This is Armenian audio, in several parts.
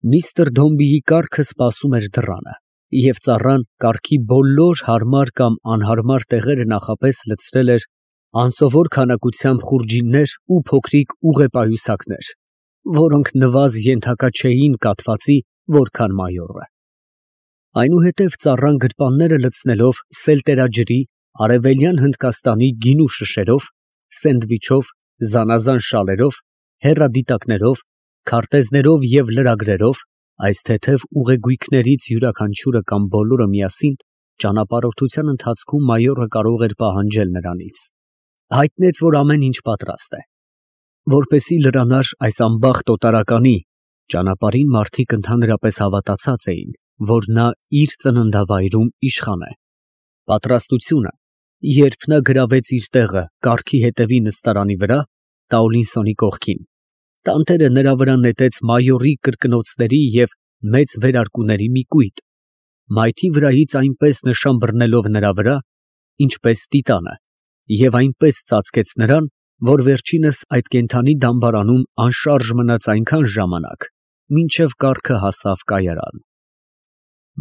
Միստր Դոմբիի կառքը սպասում էր դռանը, և ծառան կառքի բոլոր հարմար կամ անհարմար տեղերը նախապես լցրել էր անսովոր քանակությամբ խուրջիններ ու փոքրիկ ուղեպայուսակներ, որոնք նվազ ենթակա չէին կաթվածի, որքան մայորը։ Այնուհետև ծառան գրպանները լցնելով սելտերաջրի, արևելյան Հնդկաստանի գինու շշերով, սենդվիչով, զանազան շալերով, հեռադիտակներով, քարտեզներով և լրագրերով, այս թեթև ուղեգույքներից յուրաքանչյուրը կամ բոլորը միասին, ճանապարհորդության ընթացքում մայորը կարող էր պահանջել նրանից, հայտնեց, որ ամեն ինչ պատրաստ է։ Որպեսզի լրանար այս անբախտ օտարականի, ճանապարհին մարդիկ ընդհանրապես հավատացած էին, որ նա իր ծննդավայրում իշխան է։ Պատրաստությունը, երբ նա գրավեց իր տեղը կառքի հետևի նստարանի վրա, Տաուլինսոնի կողքին, տանտերը նրա վրա նետեց մայորի կրկնոցների և մեծ վերարկուների մի կույտ, մայթի վրայից այնպես նշան բռնելով նրա վրա, ինչպես տիտանը, և այնպես ծածկեց նրան, որ վերջինս այդ կենդանի դամբարանում անշարժ մնաց այնքան ժամանակ, մինչև կառքը հասավ կայարան։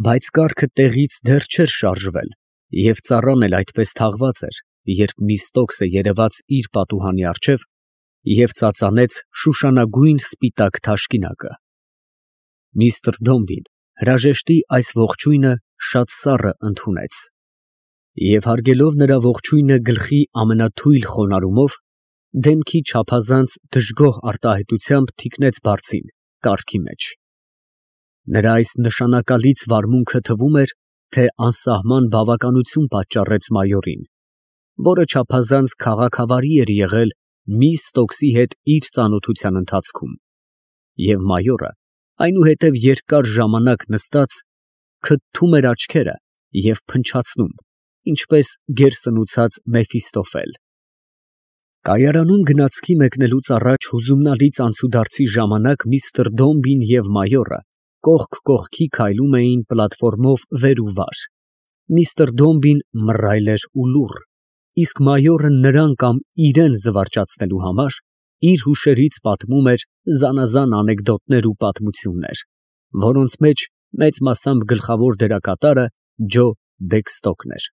Բայց կառքը տեղից դեռ չէր շարժվել, և ծառան էլ այդպես թաղված էր, երբ Միստոքսը երևաց իր պատուհանի առջև և ծածանեց շուշանագույն սպիտակ թաշկինակը։ Միստր Դոմբին հրաժեշտի այս ողջույնը շատ սառը ընդունեց, և հարգելով նրա ողջույնը գլխի ամենաթույլ խոնարհումով, դեմքի չափազանց դժգոհ արտահայտությամբ թիկնեց բարձին կառքի մեջ։ Նրա այս նշանակալից վարմունքը թվում էր, թե անսահման բավականություն պատճառեց մայորին, որը չափազանց քաղաքավարի էր եղել Միստոքսի հետ իր ծանոթության ընթացքում, և մայորը, այնուհետև երկար ժամանակ նստած, քթթում էր աչքերը և փնչացնում, ինչպես գերսնուցած Մեֆիստոֆել։ Կայարանում գնացքի մեկնելուց առաջ հուզումնալից անցուդարձի ժամանակ միստր Դոմբին և մայորը կողք կողքի քայլում էին պլատֆորմով վեր ու վար, միստր Դոմբին մռայլ էր ու լուռ, իսկ մայորը նրան կամ իրան զվարճացնելու համար իր հուշերից պատմում էր զանազան անեկդոտներ ու պատմություններ, որոնց մեջ մեծ մասամբ գլխավոր դերակատարը Ջո Բեքստոկն էր։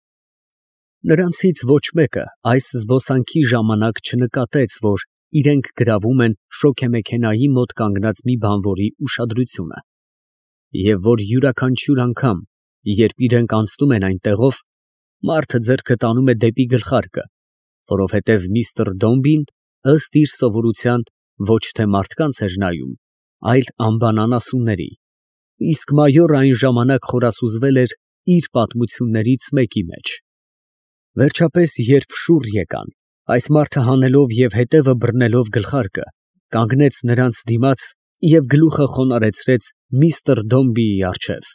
Նրանցից ոչ մեկը այս զբոսանքի ժամանակ չնկատեց, որ իրենք գրավում են շոգեմեքենայի մոտ կանգնած մի բանվորի ուշադրությունը, և որ յուրաքանչյուր անգամ, երբ իրենք անցնում են այնտեղով, մարդը ձեռքը տանում է դեպի գլխարկը, որովհետև միստր Դոմբին, ըստ իր սովորության, ոչ թե մարդկանց էր նայում, այլ անբանանասունների, իսկ մայորը այն ժամանակ խորասուզվել էր իր պատմություններից մեկի մեջ։ Վերջապես, երբ շուռ եկան, այս մարդը հանելով և հետևը բռնելով գլխարկը, կանգնեց նրանց դիմաց և գլուխը խոնարհեցրեց միստր Դոմբիի առջև։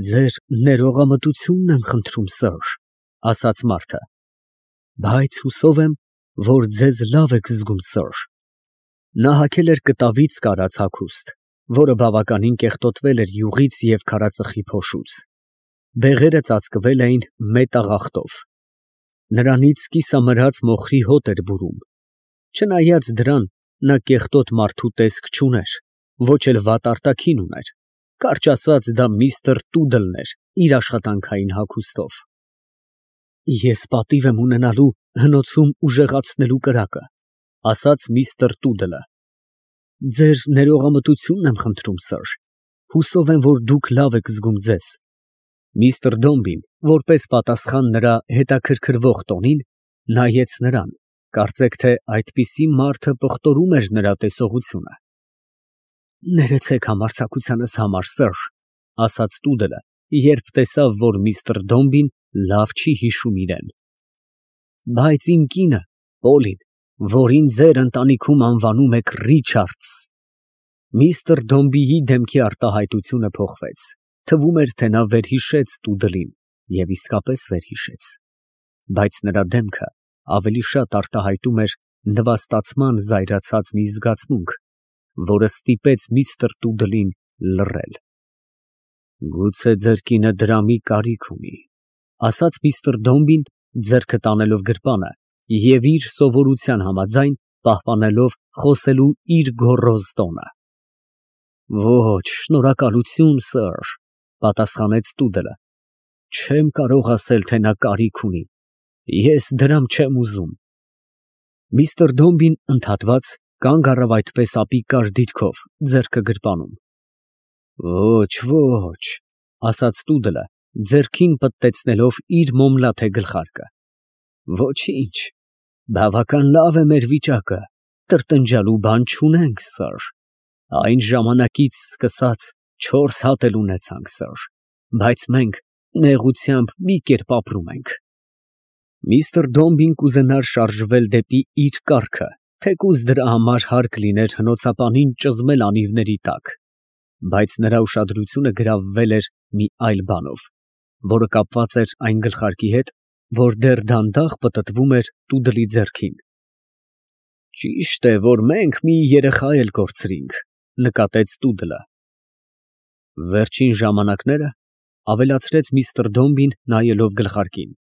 «Ձեր ներողամտությունն եմ խնդրում, սըր, ֊ ասաց մարդը, ֊ բայց հուսով եմ, որ ձեզ լավ եք զգում, սըր»։ Նա հագել էր կտավից կարած հագուստ, որը բավականին կեղտոտվել էր յուղից և քարածխի փոշուց։ Բեղերը ծածկվել էին մետաղախտով։ Նրանից կիսամրած մոխրի հոտ էր բուրում։ Չնայած դրան, նա կեղտոտ մարդու տեսք չուներ, ոչ էլ վատ արտաքին ուներ, կարճ ասած, դա միստր Տուդլն էր իր աշխատանքային հագուստով։ «Ես պատիվ եմ ունենալու հնոցում ուժեղացնելու կրակը, ֊ ասաց միստր Տուդլը։ ֊ Ձեր ներողամտությունն եմ խնդրում, սըր, հուսով եմ, որ դուք լավ եք զգում ձեզ։ Միստր Դոմբին, որպես պատասխան նրա հետաքրքրվող տոնին, նայեց նրան, կարծեք թե այդպիսի մարդը պղտորում էր նրա տեսողությունը։ «Ներեցեք համարձակությանս համար, սըր, ֊ ասաց Տուդլը, երբ տեսավ, որ միստր Դոմբին լավ չի հիշում իրան։ ֊ Բայց իմ կինը, Պոլին, որին ձեր ընտանիքում անվանում եք Ռիչարդս…» Միստր Դոմբիի դեմքի արտահայտությունը փոխվեց, թվում էր, թե նա վերհիշեց Տուդլին և իսկապես վերհիշեց, բայց նրա դեմքը ավելի շատ արտահայտում էր նվաստացման զայրացած մի զգացմունք, որը ստիպեց միստր Տուդլին լռել։ «Գուցե ձեր կինը դրամի կարիք ունի, ֊ ասաց միստր Դոմբին, ձեռքը տանելով գրպանը և իր սովորության համաձայն պահպանելով խոսելու իր գոռոզ տոնը։ Ոչ, շնորհակալություն, սըր, պատասխանեց տուդելը։ Չեմ կարող ասել, թե նա կարիք ունի։ Ես դրամ չեմ ուզում։ Միսթր Դոմբին ընդհատված կանգ առավ այդպես ապիկար դիրքով, ձեռքը գրպանում։ Ոչ, ոչ, ասաց տուդելը, ձեռքին պտտեցնելով իր մոմլաթե գլխարկը։ Ոչինչ, բավական լավ է մեր վիճակը, տրտնջալու բան չունենք, սըր։ Այն ժամանակից սկսած 4 հատ էլ ունեցանք, սըր, բայց մենք նեղությամբ մի կերպ ապրում ենք։ Միսթր Դոմբին կուզենար շարժվել դեպի իր կառքը, թեկուզ դրա համար հարկ լիներ հնոցապանին ճզմել անիվների տակ, բայց նրա ուշադրությունը գրավվել էր մի այլ բանով, որը կապված էր այն գլխարկի հետ, որ դեռ դանդաղ պտտվում էր տուդլի ձեռքին։ Ճիշտ է, որ մենք մի երեխա էլ կորցրինք, նկատեց տուդլը։ Վերջին ժամանակները, ավելացրեց միսթր Դոմբին, նայելով գլխարկին։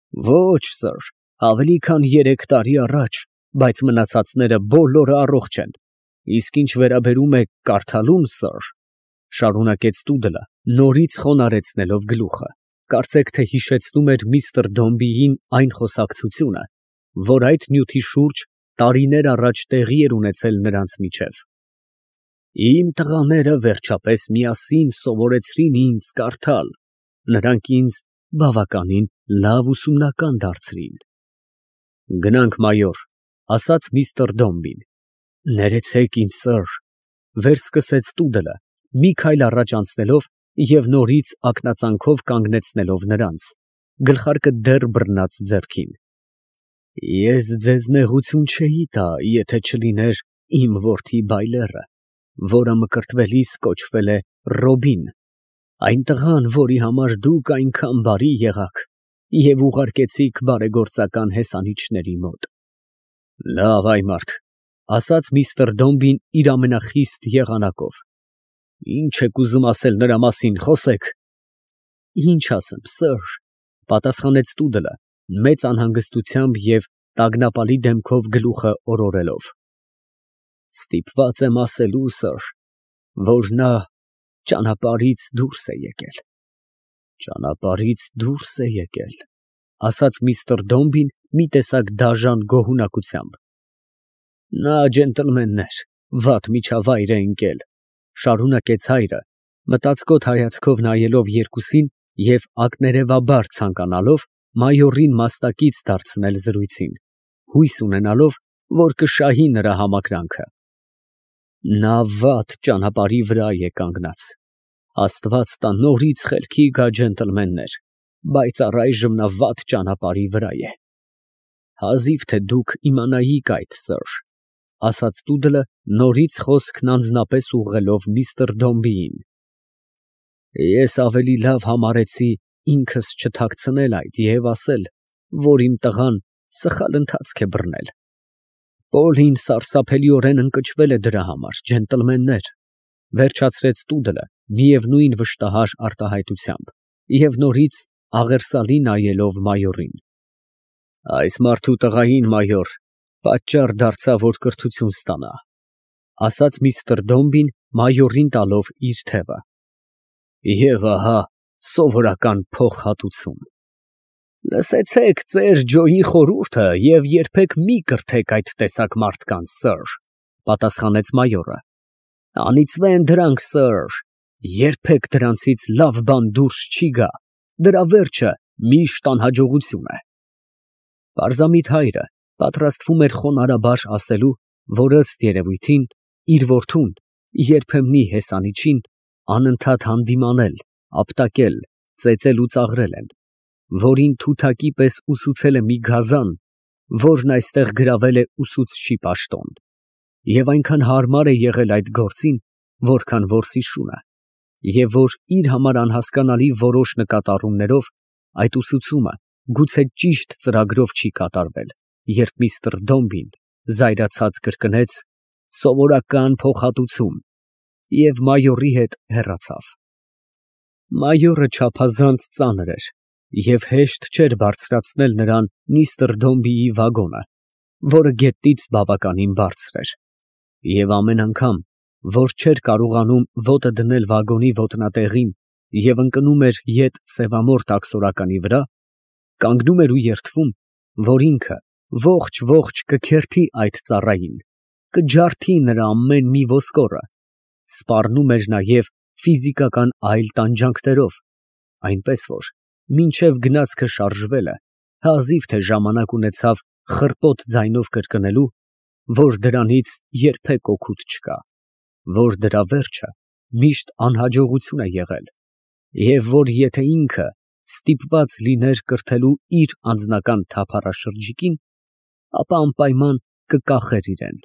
Ոչ, սըր, ավելի քան 3 տարի առաջ, բայց մնացածները բոլորը առողջ են։ Իսկ ինչ վերաբերում է կարդալուն, սըր, շարունակեց տուդլը, նորից խոնարհեցնելով գլուխը, կարծեք թե հիշեցնում էր միսթր Դոմբիին այն խոսակցությունը, որ այդ նյութի շուրջ տարիներ առաջ տեղի էր ունեցել նրանց միջև։ Իմ տղաները վերջապես միասին սովորեցրին ինձ կարդալ, նրանք ինձ բավականին լավ ուսումնական դարձրին։ Գնանք, մայոր, ասաց միսթր Դոմբին։ Ներեցեք ինձ, սըր, վերսկսեց տուդլը, մի քայլ առաջ անցնելով և նորից ակնածանքով կանգնեցնելով նրանց, գլխարկը դեռ բռնած ձեռքին։ Ես ձեզ նեղություն չէի տա, եթե չլիներ իմ որդի բայլերը, որը մկրտվելիս կոչվել է Ռոբին, այն տղան, որի համար դուք այնքան բարի եղաք և ուղարկեցիք բարեգործական հեսանիչների մոտ։ Լավ, այ մարդ, ասաց միսթր Դոմբին իր ամենախիստ եղանակով։ Ինչ եք ուզում ասել նրա մասին, խոսեք։ Ինչ ասեմ, սըր, պատասխանեց տուդլը, մեծ անհանգստությամբ և տագնապալի դեմքով գլուխը օրորելով։ Ստիպված եմ ասելու, սըր, որ նա ճանապարհից դուրս է եկել։ Ճանապարհից դուրս է եկել, ասաց միսթր Դոմբին մի տեսակ դաժան գոհունակությամբ։ Նա ջենտլմեն էր, վատ միջավայր է ընկել, շարունակեց հայրը, մտածկոտ հայացքով նայելով երկուսին և ակներևաբար ցանկանալով մայորին մաստակից դարձնել զրույցին, հույս ունենալով, որ կշահի նրա համակրանքը։ Նա վատ ճանապարհի վրա է կանգնած, Աստված տա նորից խելքի գա ջենտլմեններ, բայց առայժմ նա վատ ճանապարհի վրա է։ Հազիվ թե դուք իմանայիք այդ, սըր, ասաց տուդլը, նորից խոսքն անձնապես ուղղելով միսթր Դոմբիին։ Ես ավելի լավ համարեցի ինքս չթաքցնել այդ և ասել, որ իմ տղան սխալ ընթացք է բռնել։ Պոլին սարսափելիորեն ընկճվել է դրա համար, ջենտլմեններ, վերջացրեց տուդլը միևնույն վշտահար արտահայտությամբ և նորից աղերսալի նայելով մայորին։ Այս մարդու տղային, մայոր, պատճառ դարձա, որ կրթություն ստանա, ասաց միսթր Դոմբին մայորին տալով իր թևը։ Եվ ահա սովորական փոխհատուցում։ Լսեցեք ծեր Ջոյի խորհուրդը և երբեք մի կրթեք այդ տեսակ մարդկանց, սըր, պատասխանեց մայորը։ Անիծվեն դրանք, սըր, երբեք դրանցից լավ բան դուրս չի գա, դրա վերջը միշտ անհաջողություն է։ Պարզամիտ հայրը պատրաստվում էր խոնարհաբար ասելու, որ ըստ երևույթին իր որդուն, երբեմնի հեսանիչին, անընդհատ հանդիմանել, ապտակել, ծեծել ու ծաղրել են, որին թութակի պես ուսուցել է մի գազան, որն այստեղ գրավել է ուսուցչի պաշտոն, և այնքան հարմար է եղել այդ գործին, որքան որսի շունը, և որ իր համար անհասկանալի որոշ նկատառումներով այդ ուսուցումը գուցե ճիշտ ծրագրով չի կատարվել, երբ միսթր Դոմբին զայրացած կրկնեց սովորական փոխհատուցում և մայորի հետ հեռացավ։ Մայորը չափազանց ծանր էր և հեշտ չէր բարձրացնել նրան միսթր Դոմբիի վագոնը, որը գետնից բավականին բարձր էր, և ամեն անգամ, որ չէր կարողանում ոտը դնել վագոնի ոտնատեղին և ընկնում էր ետ սևամորթ աքսորականի վրա, կանգնում էր ու երդվում, որ ինքը ողջ կքերթի այդ ծառային, կջարդի նրա ամեն մի ոսկորը, սպառնում էր նաև ֆիզիկական այլ տանջանքներով, այնպես որ մինչև գնացքը շարժվելը հազիվ թե ժամանակ ունեցավ խռպոտ ձայնով կրկնելու, որ դրանից երբեք օգուտ չկա, որ դրա վերջը միշտ անհաջողություն է եղել, և որ եթե ինքը ստիպված լիներ կրթելու իր անձնական թափառաշրջիկին, ապա անպայման կկախեր իրան։